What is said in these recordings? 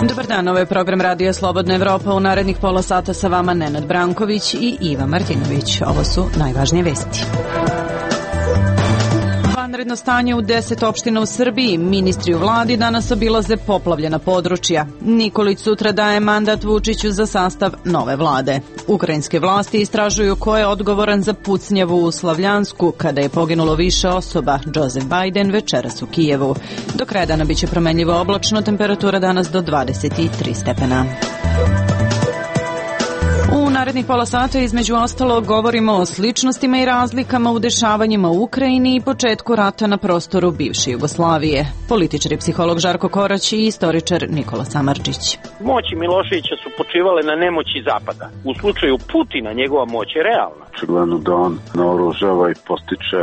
Dobar dan, ovo je program Radija Slobodna Evropa. U narednih pola sata sa vama Nenad Branković i Iva Martinović. Ovo su najvažnije vesti. Vanredno stanje u 10 opština u Srbiji. Ministri u vladi danas obilaze poplavljena područja. Nikolić sutra daje mandat Vučiću za sastav nove vlade. Ukrajinske vlasti istražuju ko je odgovoran za pucnjavu u Slavljansku kada je poginulo više osoba. Joseph Biden večeras u Kijevu. Do kraja dana biće promenljivo oblačno, temperatura danas do 23 stepena. U narednih pola sata između ostalog govorimo o sličnostima i razlikama u dešavanjima u Ukrajini i početku rata na prostoru bivše Jugoslavije. Političar i psiholog Žarko Korać i istoričar Nikola Samardžić. Moći Miloševića su počivale na nemoći Zapada. U slučaju Putina njegova moć je realna. Očigledno da on naoružava i postiče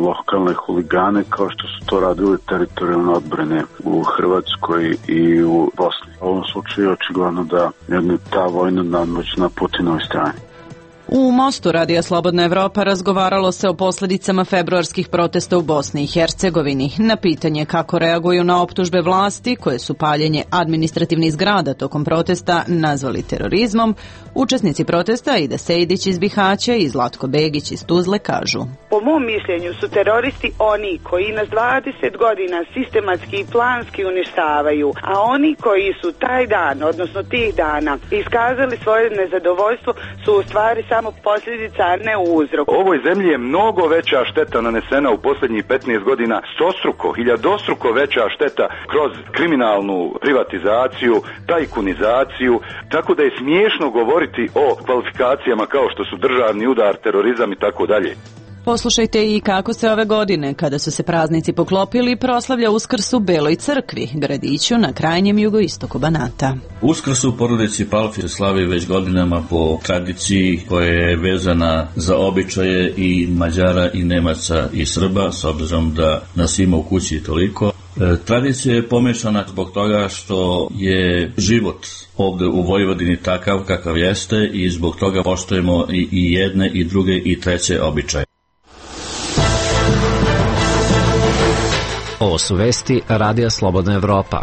lokalne huligane kao što su to radili teritorijalne odbrane u Hrvatskoj i u Bosni. U ovom slučaju očigledno da je ta vojna nadmoć na Putinovoj strani. U Mostu Radija Slobodna Evropa razgovaralo se o posljedicama februarskih protesta u Bosni i Hercegovini. Na pitanje kako reaguju na optužbe vlasti, koje su paljenje administrativnih zgrada tokom protesta nazvali terorizmom, učesnici protesta Ida Sejdić iz Bihaća i Zlatko Begić iz Tuzle kažu: Po mom mišljenju su teroristi oni koji nas 20 godina sistematski i planski uništavaju, a oni koji su taj dan, odnosno tih dana, iskazali svoje nezadovoljstvo su u stvari samo posljedica, a ne uzrok. Ovoj zemlji je mnogo veća šteta nanesena u posljednjih 15 godina, stostruko, hiljadostruko veća šteta kroz kriminalnu privatizaciju, tajkunizaciju, tako da je smiješno govoriti o kvalifikacijama kao što su državni udar, terorizam i tako dalje. Poslušajte i kako se ove godine, kada su se praznici poklopili, proslavlja Uskrs u Beloj crkvi, gradiću na krajnjem jugoistoku Banata. Uskrs u porodici Palfi slavi već godinama po tradiciji koja je vezana za običaje i Mađara i Nemaca i Srba, s obzirom da nas ima u kući toliko. Tradicija je pomešana zbog toga što je život ovdje u Vojvodini takav kakav jeste i zbog toga poštujemo i jedne i druge i treće običaje. Ovo su vesti Radija Slobodna Evropa.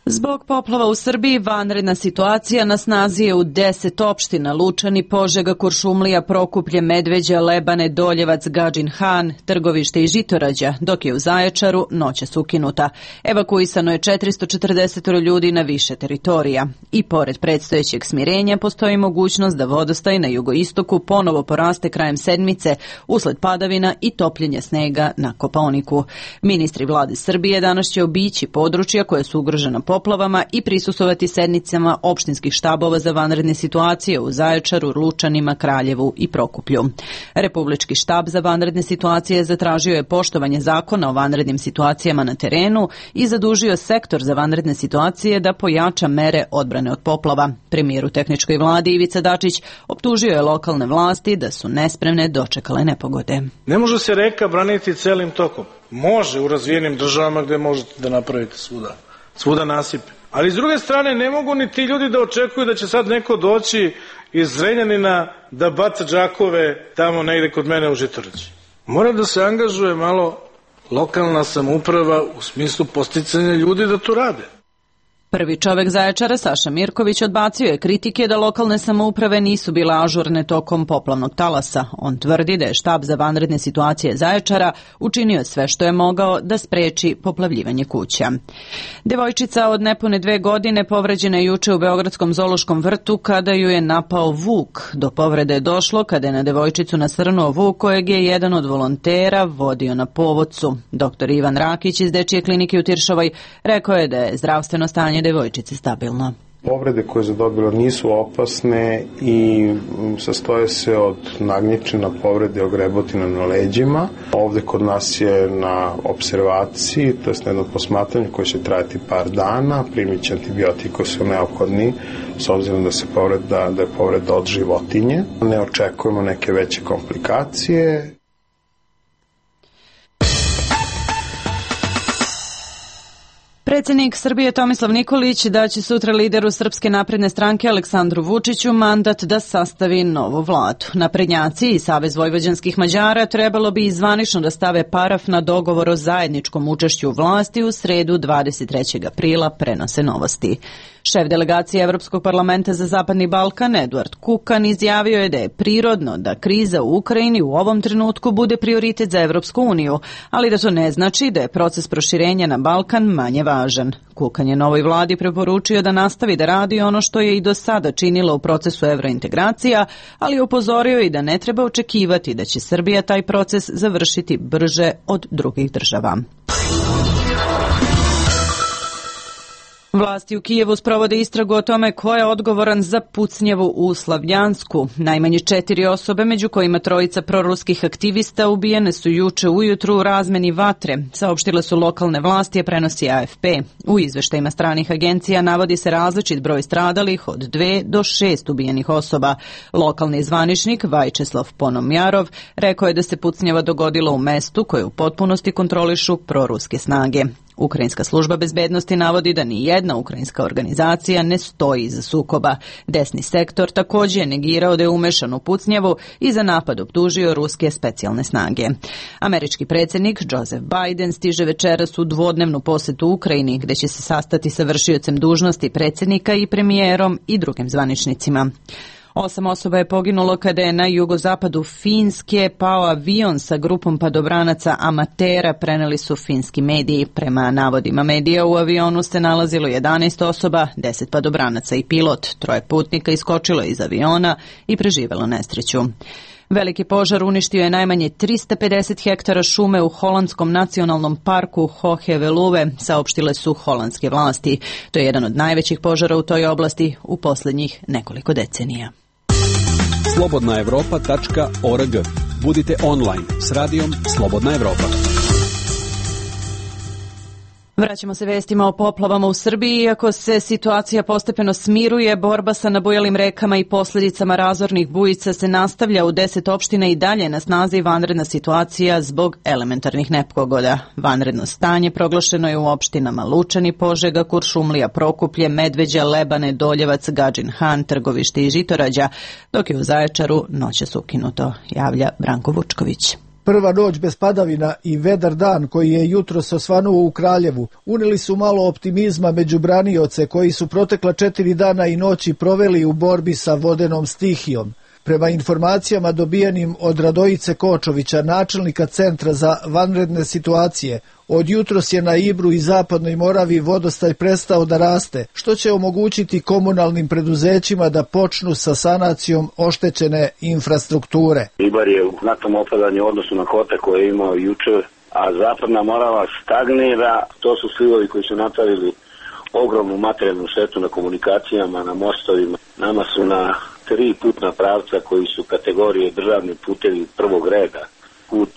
Zbog poplava u Srbiji vanredna situacija na snazi je u 10 opština: Lučani, Požega, Kuršumlija, Prokuplje, Medveđa, Lebane, Doljevac, Gadžin Han, Trgovište i Žitorađa, dok je u Zaječaru noćas ukinuta. Evakuisano je 440 ljudi na više teritorija. I pored predstojećeg smirenja postoji mogućnost da vodostaj na jugoistoku ponovo poraste krajem sedmice usled padavina i topljenja snega na Kopaoniku. Ministri vlade Srbije danas će obići područja koje su ugrožena poplavama i prisustvovati sednicama opštinskih štabova za vanredne situacije u Zaječaru, Lučanima, Kraljevu i Prokuplju. Republički štab za vanredne situacije zatražio je poštovanje zakona o vanrednim situacijama na terenu i zadužio sektor za vanredne situacije da pojača mere odbrane od poplava. Premijer u tehničkoj vladi Ivica Dačić optužio je lokalne vlasti da su nespremne dočekale nepogode. Ne može se reka braniti celim tokom. Može u razvijenim državama gde možete da napravite svuda nasipe. Ali s druge strane ne mogu ni ti ljudi da očekuju da će sad neko doći iz Zrenjanina da baca džakove tamo negde kod mene u Žitorađi. Mora da se angažuje malo lokalna samouprava u smislu posticanja ljudi da to rade. Prvi čovek Zaječara, Saša Mirković, odbacio je kritike da lokalne samouprave nisu bile ažurne tokom poplavnog talasa. On tvrdi da je štab za vanredne situacije Zaječara učinio sve što je mogao da spreči poplavljivanje kuća. Devojčica od nepune 2 godine povređena je juče u Beogradskom zoološkom vrtu kada ju je napao vuk. Do povrede je došlo kada je na devojčicu nasrnuo vuk kojeg je jedan od volontera vodio na povodcu. Dr. Ivan Rakić iz Dečije klinike u Tiršovoj rekao je da je zdravstveno stanje devojčice stabilno. Povrede koje je zadobila nisu opasne i sastoje se od nagnječina, povrede ogrebotina na leđima. Ovde kod nas je na observaciji, to je na jednom posmatranju koje će trajati par dana, primit će antibiotiki koji su neophodni s obzirom da je povreda od životinje. Ne očekujemo neke veće komplikacije. Predsjednik Srbije Tomislav Nikolić da će sutra lideru Srpske napredne stranke Aleksandru Vučiću mandat da sastavi novu vladu. Naprednjaci i Savez vojvođanskih Mađara trebalo bi zvanično da stave paraf na dogovor o zajedničkom učešću u vlasti u sredu 23. aprila, prenose Novosti. Šef delegacije Evropskog parlamenta za Zapadni Balkan Eduard Kukan izjavio je da je prirodno da kriza u Ukrajini u ovom trenutku bude prioritet za Evropsku uniju, ali da to ne znači da je proces proširenja na Balkan manje važan. Kukan je novoj vladi preporučio da nastavi da radi ono što je i do sada činilo u procesu evrointegracija, ali je upozorio i da ne treba očekivati da će Srbija taj proces završiti brže od drugih država. Vlasti u Kijevu sprovode istragu o tome ko je odgovoran za pucnjavu u Slavljansku. Najmanje 4 osobe, među kojima 3 proruskih aktivista, ubijene su juče ujutru u razmeni vatre, saopštile su lokalne vlasti, a prenosi AFP. U izveštajima stranih agencija navodi se različit broj stradalih od 2 do 6 ubijenih osoba. Lokalni zvaničnik Vajčeslav Ponomjarov rekao je da se pucnjava dogodila u mestu koje u potpunosti kontrolišu proruske snage. Ukrajinska služba bezbednosti navodi da ni jedna ukrajinska organizacija ne stoji iza sukoba. Desni sektor također je negirao da je umešan u pucnjavu i za napad optužio ruske specijalne snage. Američki predsjednik Joseph Biden stiže večeras u dvodnevnu posetu Ukrajini, gdje će se sastati sa vršiocem dužnosti predsjednika i premijerom i drugim zvaničnicima. 8 osoba je poginulo kada je na jugozapadu Finske pao avion sa grupom padobranaca amatera, preneli su finski mediji. Prema navodima medija u avionu se nalazilo 11 osoba, 10 padobranaca i pilot. 3 putnika iskočilo iz aviona i preživelo nesreću. Veliki požar uništio je najmanje 350 hektara šume u holandskom nacionalnom parku Hohe-Veluwe, saopštile su holandske vlasti. To je jedan od najvećih požara u toj oblasti u posljednjih nekoliko decenija. slobodnaevropa.org. Budite online s radijom Slobodna Evropa. Vraćamo se vestima o poplavama u Srbiji. Iako se situacija postepeno smiruje, borba sa nabujalim rekama i posljedicama razornih bujica se nastavlja u 10 opština i dalje na snazi vanredna situacija zbog elementarnih nepogoda. Vanredno stanje proglašeno je u opštinama Lučani, Požega, Kuršumlija, Prokuplje, Medveđa, Lebane, Doljevac, Gadžin Han, Trgovište i Žitorađa, dok je u Zaječaru noćas ukinuto, javlja Branko Vučković. Prva noć bez padavina i vedar dan koji je jutros osvanuo u Kraljevu unili su malo optimizma među branioce koji su protekla 4 dana i noći proveli u borbi sa vodenom stihijom. Prema informacijama dobijenim od Radojice Kočovića, načelnika Centra za vanredne situacije, od jutros je na Ibru i Zapadnoj Moravi vodostaj prestao da raste, što će omogućiti komunalnim preduzećima da počnu sa sanacijom oštećene infrastrukture. Ibar je u znatnom opadanju u odnosu na kote koje je imao juče, a Zapadna Morava stagnira. To su slivovi koji su napravili ogromnu materijalnu štetu na komunikacijama, na mostovima. Nama su na 3 putna pravca koji su kategorije državni putevi prvog reda. Put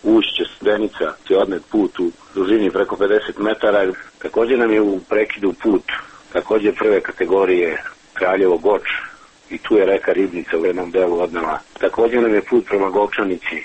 Ušće, Studenica, je odnet put u dužini preko 50 metara. Također nam je u prekidu put, također prve kategorije Kraljevo-Goč i tu je reka Ribnica u jednom delu odnela. Također nam je put prema Govčanici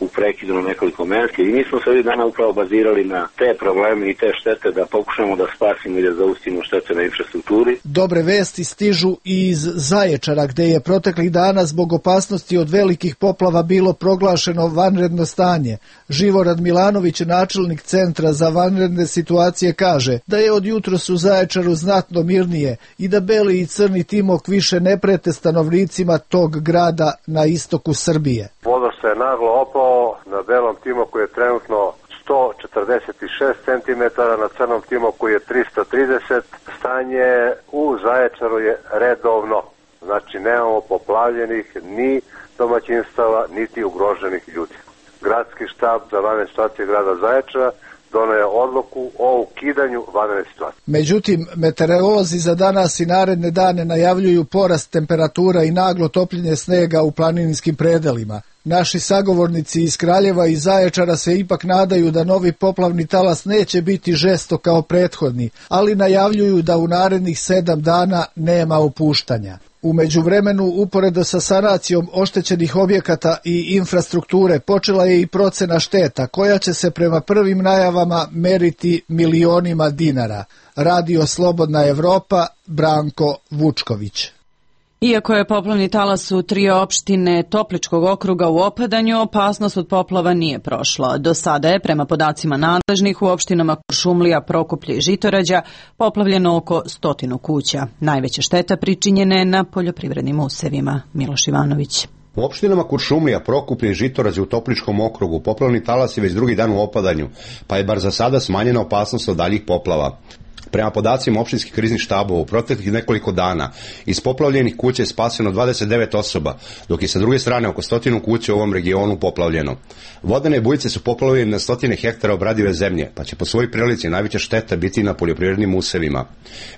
u prekidu na nekoliko mesta i mi smo se ovih dana upravo bazirali na te probleme i te štete da pokušamo da spasimo i da zaustavimo štete na infrastrukturi. Dobre vesti stižu i iz Zaječara, gde je proteklih dana zbog opasnosti od velikih poplava bilo proglašeno vanredno stanje. Živorad Milanović, načelnik Centra za vanredne situacije, kaže da je od jutros u Zaječaru znatno mirnije i da beli i crni timok više ne prete stanovnicima tog grada na istoku Srbije. Voda se naglo opao, na belom timoku je trenutno 146 cm, na crnom timoku je 330. Stanje u Zaječaru je redovno, znači nemamo poplavljenih ni domaćinstava, niti ugroženih ljudi. Gradski štab za vanredne situacije grada Zaječara doneo je odluku o ukidanju vanredne situacije. Međutim, meteorolozi za danas i naredne dane najavljuju porast temperatura i naglo topljenje snega u planinskim predelima. Naši sagovornici iz Kraljeva i Zaječara se ipak nadaju da novi poplavni talas neće biti žestok kao prethodni, ali najavljuju da u narednih 7 dana nema opuštanja. U međuvremenu, uporedo sa sanacijom oštećenih objekata i infrastrukture, počela je i procena šteta, koja će se prema prvim najavama meriti milionima dinara. Radio Slobodna Evropa, Branko Vučković. Iako je poplavni talas u 3 opštine Topličkog okruga u opadanju, opasnost od poplava nije prošla. Do sada je, prema podacima nadležnih, u opštinama Kuršumlija, Prokuplje i Žitorađa poplavljeno oko 100 kuća. Najveća šteta pričinjena je na poljoprivrednim usevima. Miloš Ivanović. U opštinama Kuršumlija, Prokuplje i Žitorađe u Topličkom okrugu poplavni talas je već drugi dan u opadanju, pa je bar za sada smanjena opasnost od daljih poplava. Prema podacima opštinskih kriznih štabova, u proteklih nekoliko dana iz poplavljenih kuća je spaseno 29 osoba, dok je sa druge strane oko 100 kuća u ovom regionu poplavljeno. Vodene bujice su poplavljene na 100 hektara obradive zemlje, pa će po svojoj prilici najveća šteta biti na poljoprivrednim usevima.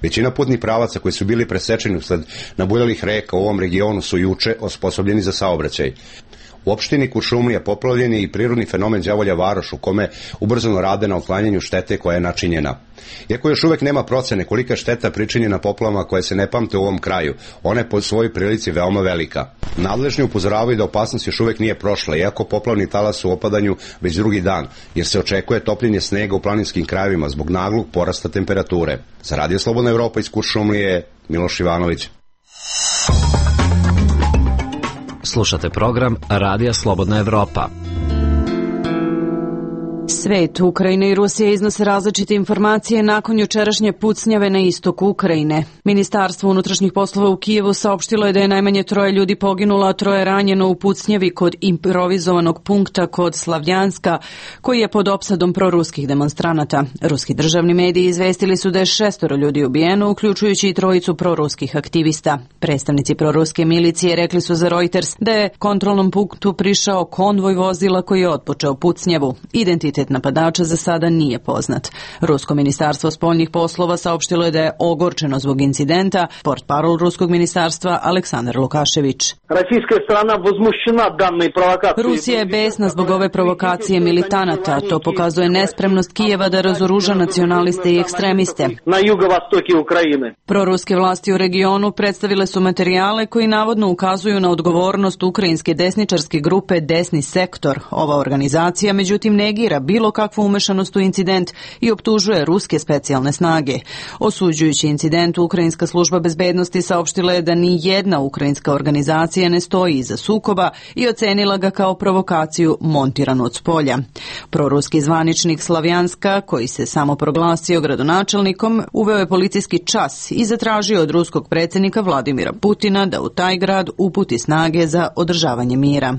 Većina putnih pravaca koji su bili presečeni usled nabujalih reka u ovom regionu su juče osposobljeni za saobraćaj. U opštini Kuršumlija poplavljen je i prirodni fenomen Đavolja Varoš, u kome ubrzano rade na otklanjanju štete koja je načinjena. Iako još uvek nema procene kolika šteta pričinjena poplavama koje se ne pamte u ovom kraju, ona je po svojoj prilici veoma velika. Nadležni upozoravaju da opasnost još uvek nije prošla, iako poplavni talas u opadanju već drugi dan, jer se očekuje topljenje snega u planinskim krajevima zbog naglog porasta temperature. Za Radio Slobodna Evropa iz Kuršumlije, Miloš Ivanović. Slušate program Radija Slobodna Evropa. Svet, Ukrajina i Rusija iznose različite informacije nakon jučerašnje pucnjave na istoku Ukrajine. Ministarstvo unutrašnjih poslova u Kijevu saopštilo je da je najmanje 3 ljudi poginulo, a 3 ranjeno u pucnjavi kod improvizovanog punkta kod Slavljanska, koji je pod opsadom proruskih demonstranata. Ruski državni mediji izvestili su da je 6 ljudi ubijeno, uključujući i 3 proruskih aktivista. Predstavnici proruske milicije rekli su za Reuters da je kontrolnom punktu prišao konvoj vozila koji je otpočeo pucnjavu. Identitet napadača za sada nije poznat. Rusko ministarstvo spoljnih poslova saopštilo je da je ogorčeno zbog incidenta. Portparol ruskog ministarstva Aleksandar Lukašević. Rusija je besna zbog ove provokacije militanata. To pokazuje nespremnost Kijeva da razoruža nacionaliste i ekstremiste. Proruske vlasti u regionu predstavile su materijale koji navodno ukazuju na odgovornost ukrajinske desničarske grupe Desni sektor. Ova organizacija međutim negira bilo kakvu umešanost u incident i optužuje ruske specijalne snage. Osuđujući incident, Ukrajinska služba bezbednosti saopštila je da ni jedna ukrajinska organizacija ne stoji iza sukoba i ocenila ga kao provokaciju montiranu od spolja. Proruski zvaničnik Slavjanska, koji se samo proglasio gradonačelnikom, uveo je policijski čas i zatražio od ruskog predsjednika Vladimira Putina da u taj grad uputi snage za održavanje mira.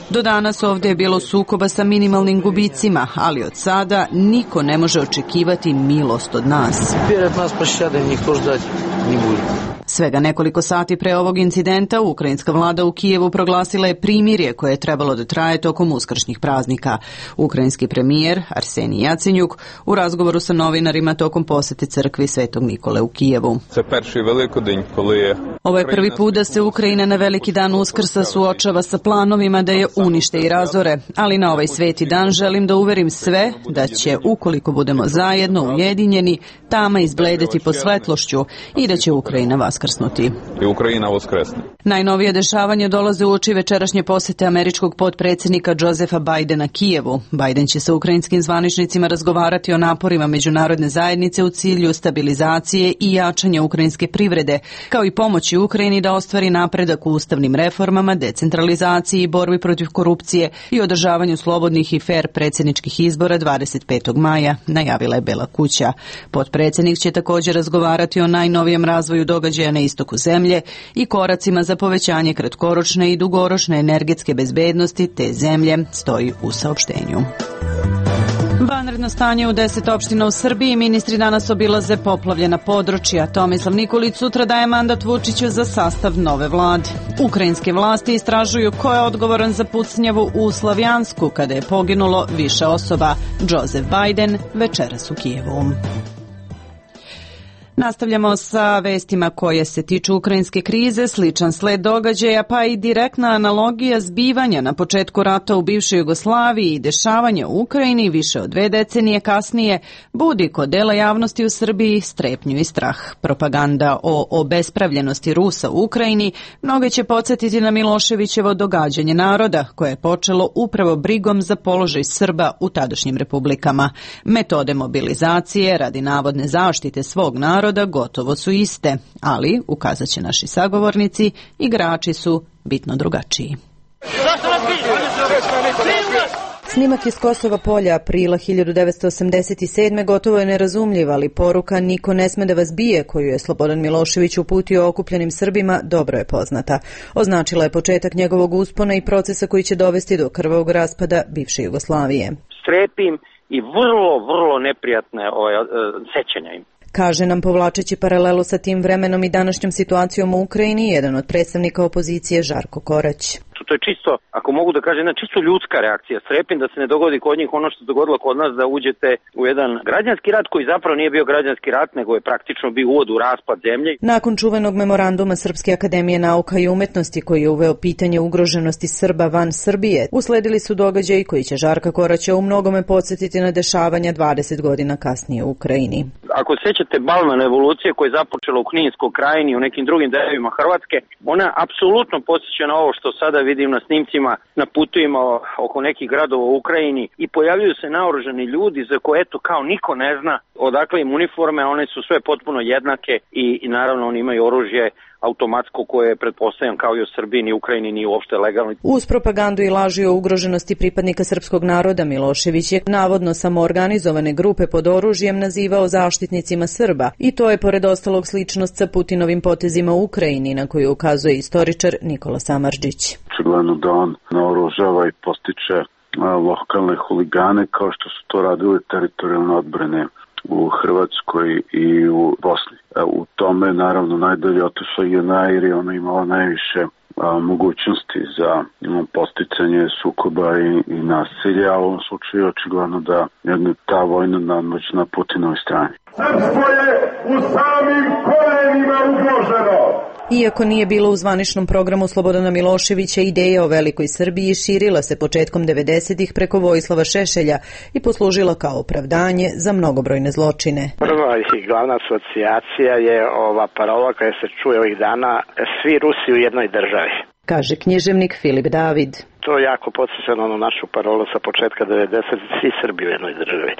Do danas ovdje je bilo sukoba sa minimalnim gubicima, ali od sada niko ne može očekivati milost od nas. Svega nekoliko sati pre ovog incidenta, ukrajinska vlada u Kijevu proglasila je primirje koje je trebalo da traje tokom uskršnjih praznika. Ukrajinski premijer Arsenij Jacenjuk u razgovoru sa novinarima tokom posete crkvi Svetog Nikole u Kijevu. Ovo je prvi put da se Ukrajina na veliki dan Uskrsa suočava sa planovima da je unište i razore, ali na ovaj sveti dan želim da uverim sve da će, ukoliko budemo zajedno ujedinjeni, tama izbledeti pod svetlošću i da će Ukrajina vaskrsnuti. Najnovije dešavanje dolaze uoči večerašnje posete američkog potpredsjednika Josepha Bidena Kijevu. Biden će sa ukrajinskim zvaničnicima razgovarati o naporima međunarodne zajednice u cilju stabilizacije i jačanja ukrajinske privrede, kao i pomoći Ukrajini da ostvari napredak u ustavnim reformama, decentralizaciji i borbi protiv korupcije i održavanju slobodnih i fer predsjedničkih izbora 25. maja, najavila je Bela kuća. Potpredsjednik će također razgovarati o najnovijem razvoju događaja na istoku zemlje i koracima za povećanje kratkoročne i dugoročne energetske bezbednosti te zemlje, stoji u saopštenju. Vanredno stanje u 10 opština u Srbiji. Ministri danas obilaze poplavljena područja. Tomislav Nikolić sutra daje mandat Vučiću za sastav nove vlade. Ukrajinske vlasti istražuju ko je odgovoran za pucnjavu u Slavjansku kada je poginulo više osoba. Joseph Biden večeras u Kijevu. Nastavljamo sa vestima koje se tiču ukrajinske krize, sličan sled događaja pa i direktna analogija zbivanja na početku rata u bivšoj Jugoslaviji i dešavanja u Ukrajini više od 2 decenije kasnije budi kod dela javnosti u Srbiji strepnju i strah. Propaganda o obespravljenosti Rusa u Ukrajini mnoge će podsjetiti na Miloševićevo događanje naroda koje je počelo upravo brigom za položaj Srba u tadašnjim republikama. Metode mobilizacije radi navodne zaštite svog naroda gotovo su iste, ali, ukazat će naši sagovornici, igrači su bitno drugačiji. Snimak iz Kosova polja aprila 1987. gotovo je nerazumljiv, ali poruka "niko ne sme da vas bije" koju je Slobodan Milošević uputio okupljenim Srbima dobro je poznata. Označila je početak njegovog uspona i procesa koji će dovesti do krvavog raspada bivše Jugoslavije. Strepim i vrlo neprijatne sećanja im. Kaže nam, povlačeći paralelu sa tim vremenom i današnjom situacijom u Ukrajini, jedan od predstavnika opozicije Žarko Korać. To je čisto, ako mogu da kažem, čisto ljudska reakcija. Strepim da se ne dogodi kod njih ono što se dogodilo kod nas, da uđete u jedan građanski rat koji zapravo nije bio građanski rat, nego je praktično bio uvod u raspad zemlje. Nakon čuvenog memoranduma Srpske akademije nauka i umetnosti koji je uveo pitanje ugroženosti Srba van Srbije, usledili su događaji koji će Žarka Koraća u mnogome podsjetiti na dešavanja 20 godina kasnije u Ukrajini. Ako sećate Balman revolucije koja je započela u Kninskoj krajini i u nekim drugim delovima Hrvatske, ona apsolutno podsjeća na ovo što sada vidim na snimcima na putovima oko nekih gradova u Ukrajini i pojavljuju se naoružani ljudi za koje eto kao niko ne zna odakle im uniforme, one su sve potpuno jednake i naravno oni imaju oružje automatsko koje je pretpostavljam kao i u Srbiji ni Ukrajini ni uopšte legalno. Uz propagandu i laži o ugroženosti pripadnika srpskog naroda Milošević je navodno samoorganizovane grupe pod oružjem nazivao zaštitnicima Srba i to je pored ostalog sličnost sa Putinovim potezima u Ukrajini na koju ukazuje istoričar Nikola Samardžić. Očigledno da on naoružava i postiče lokalne huligane kao što su to radili teritorijalne odbrane u Hrvatskoj i u Bosni. U tome naravno najdalje otišla JNA jer je ona imala najviše mogućnosti za posticanje sukoba i nasilja, a u ovom slučaju je očigledno da je ta vojna nadmoć na Putinovoj strani. Srpstvo je u samim korenima ugroženo. Iako nije bilo u zvaničnom programu Slobodana Miloševića, ideja o velikoj Srbiji širila se početkom 90-ih preko Vojislava Šešelja i poslužila kao opravdanje za mnogobrojne zločine. Prva i glavna asocijacija je ova parola koja se čuje ovih dana: svi Rusi u jednoj državi. Kaže književnik Filip David. To je jako podsjeća na onu našu parolu sa početka 90-ih, svi Srbi u jednoj državi.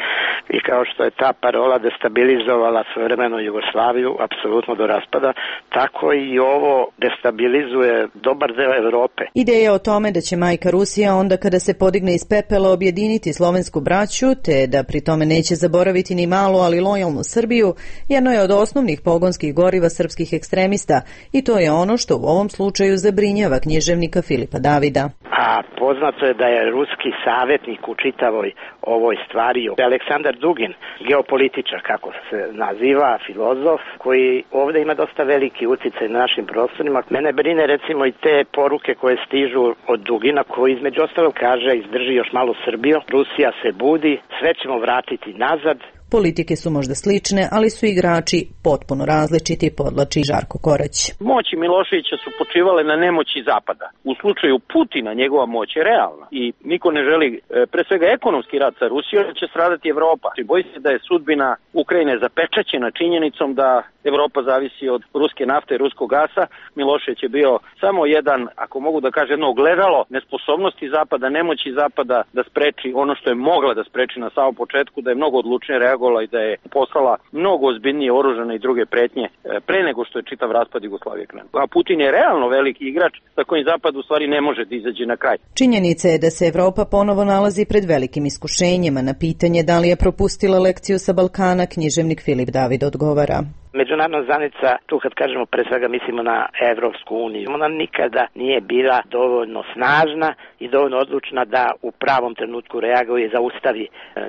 I kao što je ta parola destabilizovala svojevremenu Jugoslaviju, apsolutno do raspada, tako i ovo destabilizuje dobar deo Evrope. Ideja o tome da će majka Rusija onda kada se podigne iz pepela objediniti slovensku braću, te da pri tome neće zaboraviti ni malu, ali lojalnu Srbiju, jedno je od osnovnih pogonskih goriva srpskih ekstremista i to je ono što u ovom slučaju zabrinjava književnika Filipa Davida. A poznato je da je ruski savjetnik u čitavoj ovoj stvari Aleksandar Dugin, geopolitičar, kako se naziva, filozof, koji ovdje ima dosta veliki uticaj na našim prostorima. Mene brine recimo i te poruke koje stižu od Dugina, koji između ostalog kaže: izdrži još malo Srbiju, Rusija se budi, sve ćemo vratiti nazad. Politike su možda slične, ali su igrači potpuno različiti, podlači Žarko Korać. Moći Miloševića su počivale na nemoći Zapada. U slučaju Putina njegova moć je realna i niko ne želi, pre svega ekonomski rat sa Rusijom, će stradati Evropa. Boji se da je sudbina Ukrajine zapečaćena činjenicom da Evropa zavisi od ruske nafte i ruskog gasa. Milošević je bio samo jedan, ako mogu da kažem, jedno ogledalo nesposobnosti Zapada, nemoći Zapada da spreči ono što je mogla da spreči na samom početku, da je mnogo odlučnije reagovala i da je poslala mnogo ozbiljnije oružane i druge pretnje pre nego što je čitav raspad Jugoslavije krenuo. A Putin je realno veliki igrač sa kojim Zapad u stvari ne može da izađe na kraj. Činjenica je da se Evropa ponovo nalazi pred velikim iskušenjima. Na pitanje da li je propustila lekciju sa Balkana, književnik Filip David odgovara: Međunarodna zajednica, tu kad kažemo pre svega mislimo na Evropsku uniju, ona nikada nije bila dovoljno snažna i dovoljno odlučna da u pravom trenutku reaguje i zaustavi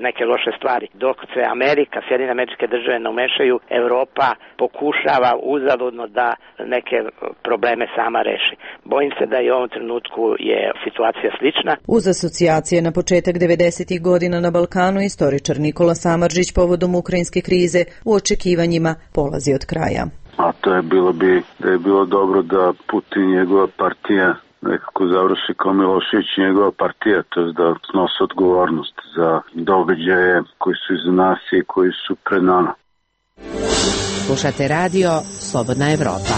neke loše stvari. Dok se Amerika, Sjedinjene Američke Države ne umešaju, Evropa pokušava uzaludno da neke probleme sama reši. Bojim se da i u ovom trenutku je situacija slična. Uz asocijacije na početak 90-ih godina na Balkanu, istoričar Nikola Samardžić povodom ukrajinske krize u očekivanjima polazi dolazi od kraja. A to je bilo dobro da Putin i njegova partija nekako završi kao Milošević i njegova partija, to je da snose odgovornost za događaje koji su iza nas i koji su pred nama. Slušate radio Slobodna Evropa.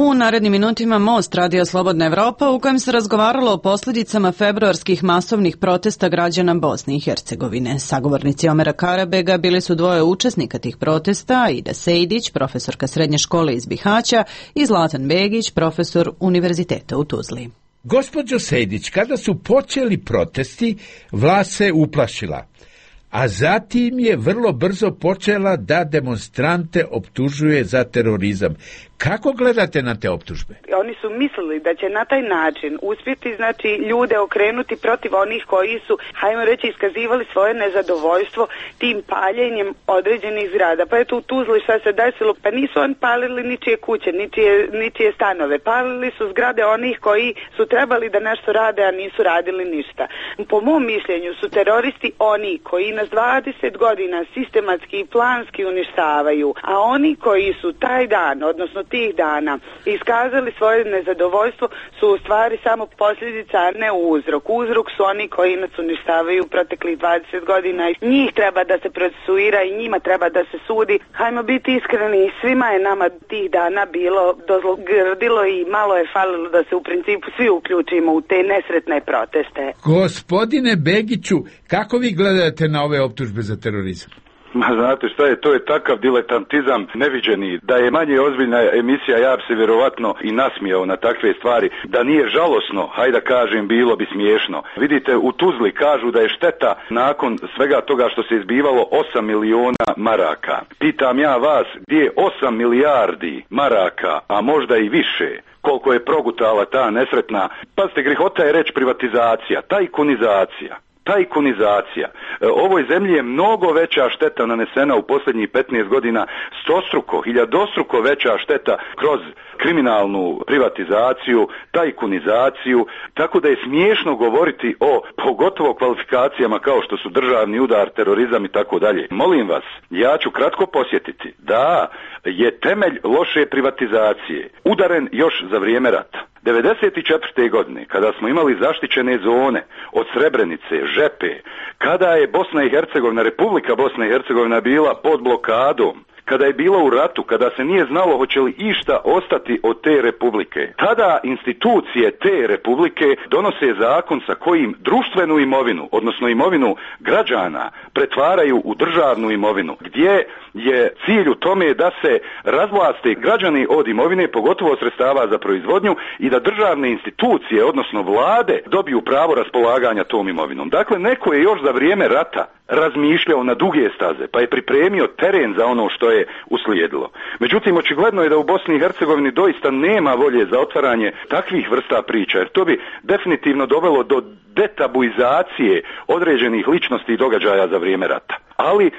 U narednim minutima Most, Radio Slobodna Evropa, u kojem se razgovaralo o posljedicama februarskih masovnih protesta građana Bosne i Hercegovine. Sagovornici Omera Karabega bili su dvoje učesnika tih protesta, Ida Sejdić, profesorka srednje škole iz Bihaća, i Zlatan Begić, profesor Univerziteta u Tuzli. Gospođo Sejdić, kada su počeli protesti, vlast se uplašila, a zatim je vrlo brzo počela da demonstrante optužuje za terorizam. Kako gledate na te optužbe? Oni su mislili da će na taj način uspjeti, znači, ljude okrenuti protiv onih koji su, hajmo reći, iskazivali svoje nezadovoljstvo tim paljenjem određenih zgrada. Pa eto u Tuzli šta se desilo, pa nisu oni palili ničije kuće, ničije stanove. Palili su zgrade onih koji su trebali da nešto rade, a nisu radili ništa. Po mom mišljenju su teroristi oni koji nas 20 godina sistematski i planski uništavaju, a oni koji su taj dan, odnosno tih dana, iskazali svoje nezadovoljstvo su u stvari samo posljedica, a ne uzrok. Uzrok su oni koji nas uništavaju proteklih 20 godina. Njih treba da se procesuira i njima treba da se sudi. Hajmo biti iskreni, svima je nama tih dana bilo dozgrdilo i malo je falilo da se u principu svi uključimo u te nesretne proteste. Gospodine Begiću, kako vi gledate na ove optužbe za terorizam? Ma znate šta je, to je takav diletantizam neviđeni, da je manje ozbiljna emisija, ja bi se vjerovatno i nasmijao na takve stvari. Da nije žalosno, hajde da kažem, bilo bi smiješno. Vidite, u Tuzli kažu da je šteta nakon svega toga što se izbivalo 8 miliona maraka. Pitam ja vas, gdje je 8 milijardi maraka, a možda i više? Koliko je progutala ta nesretna, pazite, grihota je reći privatizacija, tajkunizacija. Ovoj zemlji je mnogo veća šteta nanesena u posljednjih 15 godina, hiljadostruko veća šteta kroz kriminalnu privatizaciju, tajkunizaciju, tako da je smiješno govoriti o pogotovo kvalifikacijama kao što su državni udar, terorizam i tako dalje. Molim vas, ja ću kratko posjetiti da je temelj loše privatizacije udaren još za vrijeme rata. 1994. godine, kada smo imali zaštićene zone od Srebrenice, Žepe, kada je Bosna i Hercegovina, Republika Bosna i Hercegovina bila pod blokadom, kada je bila u ratu, kada se nije znalo hoće li išta ostati od te republike, tada institucije te republike donose zakon sa kojim društvenu imovinu, odnosno imovinu građana, pretvaraju u državnu imovinu, gdje je cilj u tome da se razvlaste građani od imovine, pogotovo sredstava za proizvodnju, i da državne institucije, odnosno vlade, dobiju pravo raspolaganja tom imovinom. Dakle, neko je još za vrijeme rata razmišljao na duge staze, pa je pripremio teren za ono što je uslijedilo. Međutim, očigledno je da u Bosni i Hercegovini doista nema volje za otvaranje takvih vrsta priča, jer to bi definitivno dovelo do detabuizacije određenih ličnosti i događaja za vrijeme rata. Ali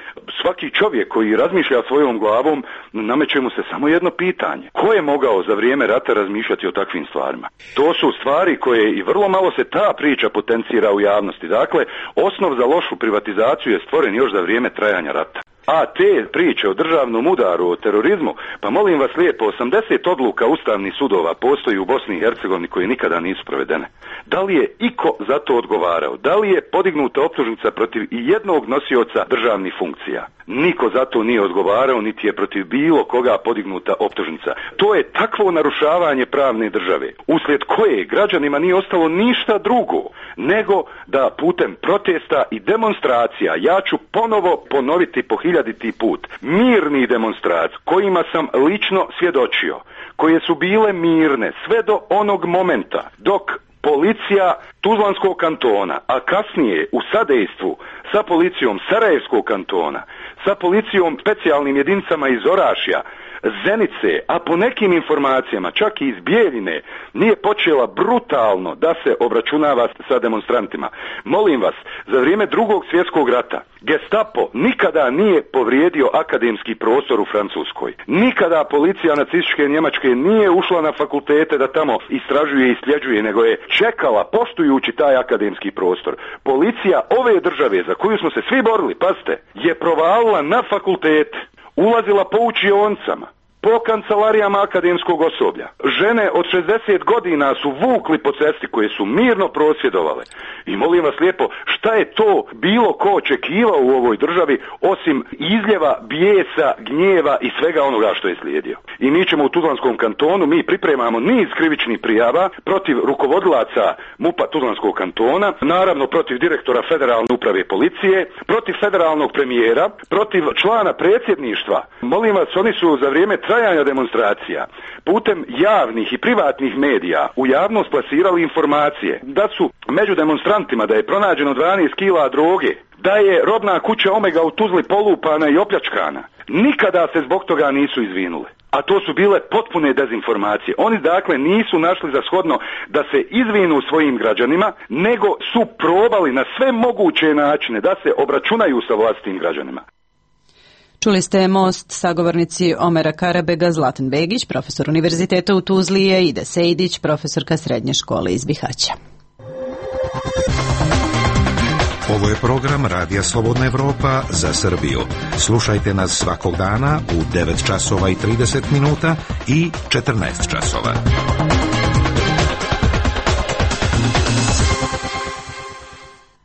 svaki čovjek koji razmišlja svojom glavom, nameće mu se samo jedno pitanje. Ko je mogao za vrijeme rata razmišljati o takvim stvarima? To su stvari koje i vrlo malo se ta priča potencira u javnosti. Dakle, osnov za lošu privatizaciju je stvoren još za vrijeme trajanja rata. A te priče o državnom udaru, o terorizmu, pa molim vas lijepo, 80 odluka ustavnih sudova postoji u Bosni i Hercegovini koje nikada nisu provedene. Da li je iko za to odgovarao? Da li je podignuta optužnica protiv i jednog nosioca državnih funkcija? Niko za to nije odgovarao, niti je protiv bilo koga podignuta optužnica. To je takvo narušavanje pravne države, uslijed koje građanima nije ostalo ništa drugo nego da putem protesta i demonstracija, ja ću ponovo ponoviti po 1000. put, mirni demonstracije kojima sam lično svjedočio, koje su bile mirne sve do onog momenta dok policija Tuzlanskog kantona, a kasnije u sadejstvu sa policijom Sarajevskog kantona, sa policijom specijalnim jedinicama iz Orašja, Zenice, a po nekim informacijama čak i iz Bijeljine, nije počela brutalno da se obračunava sa demonstrantima. Molim vas, za vrijeme Drugog svjetskog rata Gestapo nikada nije povrijedio akademski prostor u Francuskoj. Nikada policija nacističke Njemačke nije ušla na fakultete da tamo istražuje i sljeđuje, nego je čekala, poštujući taj akademski prostor. Policija ove države, za koju smo se svi borili, pazite, je provalila na fakultete, ulazila po učionicama, po kancelarijama akademskog osoblja. Žene od 60 godina su vukli po cesti koje su mirno prosvjedovale. I molim vas lijepo, šta je to bilo ko očekivao u ovoj državi osim izljeva, bijesa, gnjeva i svega onoga što je slijedio. I mi ćemo u Tuzlanskom kantonu, mi pripremamo niz krivičnih prijava protiv rukovodilaca MUP-a Tuzlanskog kantona, naravno protiv direktora Federalne uprave policije, protiv federalnog premijera, protiv člana predsjedništva. Molim vas, oni su za vrijeme trajanja demonstracija putem javnih i privatnih medija u javnost plasirali informacije da su među demonstrantima, da je pronađeno 12 kila droge, da je robna kuća Omega u Tuzli polupana i opljačkana. Nikada se zbog toga nisu izvinule. A to su bile potpune dezinformacije. Oni dakle nisu našli za shodno da se izvinu svojim građanima, nego su probali na sve moguće načine da se obračunaju sa vlastitim građanima. Čuli ste Most, sagovornici Omera Karabega, Zlatan Begić, profesor univerziteta u Tuzli, i Ida Sejdić, profesorka srednje škole iz Bihaća. Ovo je program Radija Slobodna Evropa za Srbiju. Slušajte nas svakog dana u 9 časova i 30 minuta i 14 časova.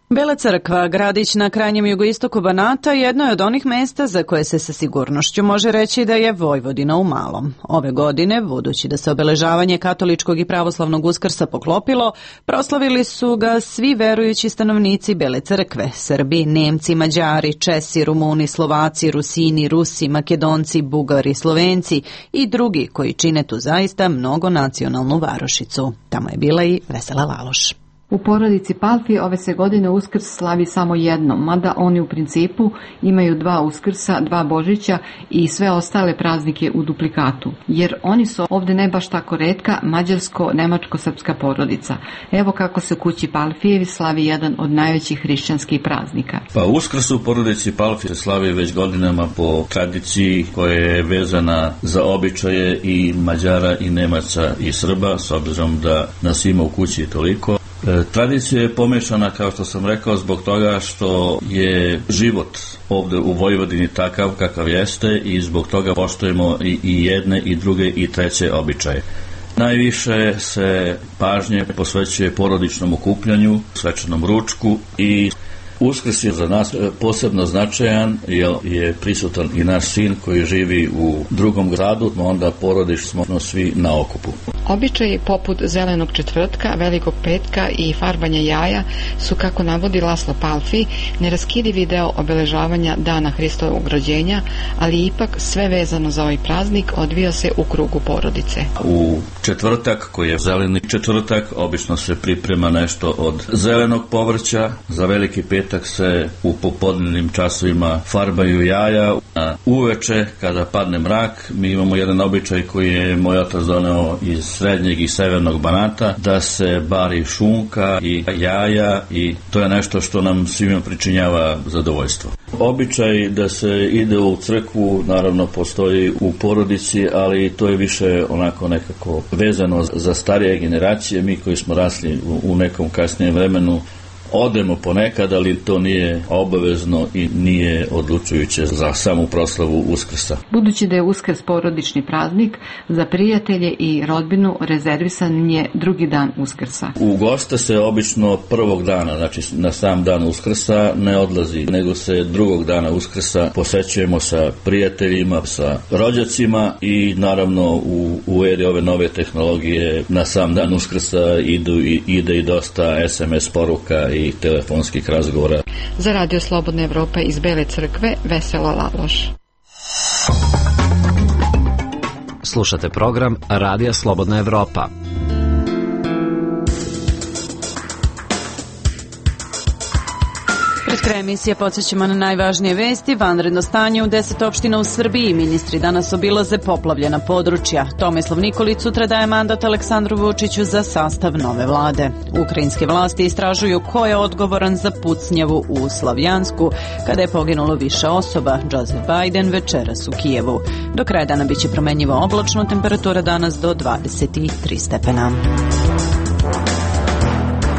Bela Crkva, gradić na krajnjem jugoistoku Banata, jedno je od onih mesta za koje se sa sigurnošću može reći da je Vojvodina u malom. Ove godine, budući da se obeležavanje katoličkog i pravoslavnog Uskrsa poklopilo, proslavili su ga svi verujući stanovnici Bele Crkve: Srbi, Nemci, Mađari, Česi, Rumuni, Slovaci, Rusini, Rusi, Makedonci, Bugari, Slovenci i drugi koji čine tu zaista mnogonacionalnu varošicu. Tamo je bila i Vesela Laloš. U porodici Palfi ove se godine Uskrs slavi samo jednom, mada oni u principu imaju 2 Uskrsa, 2 Božića i sve ostale praznike u duplikatu, jer oni su ovde ne baš tako retka mađarsko-nemačko-srpska porodica. Evo kako se u kući Palfijevi slavi jedan od najvećih hrišćanskih praznika. Pa Uskrs u porodici Palfi se slavi već godinama po tradiciji koja je vezana za običaje i Mađara i Nemaca i Srba, s obzirom da nas ima u kući toliko. Tradicija je pomešana, kao što sam rekao, zbog toga što je život ovde u Vojvodini takav kakav jeste i zbog toga poštujemo i jedne i druge i treće običaje. Najviše se pažnje posvećuje porodičnom okupljanju, svečanom ručku i Uskrs je za nas posebno značajan jer je prisutan i naš sin koji živi u drugom gradu, onda porodično smo svi na okupu. Običaji poput Zelenog četvrtka, Velikog petka i farbanja jaja su, kako navodi Laslo Palfi, neraskidivi deo obeležavanja dana Hristovog rođenja, ali ipak sve vezano za ovaj praznik odvija se u krugu porodice. U četvrtak, koji je zeleni četvrtak, obično se priprema nešto od zelenog povrća. Za Veliki petak se u popodnevnim časovima farbaju jaja. A uveče, kada padne mrak, mi imamo jedan običaj koji je moj otac doneo iz srednjeg i severnog Banata, da se bari šunka i jaja, i to je nešto što nam svima pričinjava zadovoljstvo. Običaj da se ide u crkvu naravno postoji u porodici, ali to je više onako nekako vezano za starije generacije. Mi koji smo rasli u nekom kasnijem vremenu odemo ponekad, ali to nije obavezno i nije odlučujuće za samu proslavu Uskrsa. Budući da je Uskrs porodični praznik, za prijatelje i rodbinu rezervisan je drugi dan Uskrsa. U goste se obično prvog dana, znači na sam dan Uskrsa, ne odlazi, nego se drugog dana Uskrsa posećujemo sa prijateljima, sa rođacima i naravno u eri ove nove tehnologije na sam dan Uskrsa ide i dosta SMS poruka i telefonskih razgovora. Za Radio Slobodna Evropa iz Bele Crkve, Vesela Laloš. Slušate program Radija Slobodna Evropa. Pred krajem emisije podsjećamo na najvažnije vesti. Vanredno stanje u 10 opština u Srbiji. Ministri danas obilaze poplavljena područja. Tomislav Nikolić sutra daje mandat Aleksandru Vučiću za sastav nove vlade. Ukrajinske vlasti istražuju ko je odgovoran za pucnjavu u Slavjansku, kada je poginulo više osoba. Joseph Biden večeras u Kijevu. Do kraja dana biće promenjivo oblačno, temperatura danas do 23 stepena.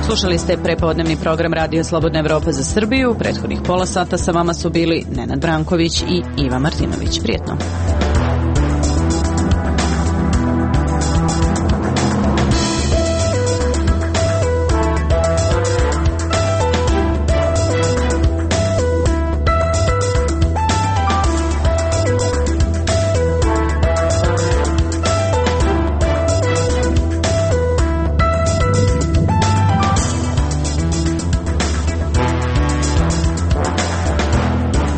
Slušali ste prepodnevni program Radio Slobodna Evropa za Srbiju. U prethodnih pola sata sa vama su bili Nenad Branković i Iva Martinović. Prijetno.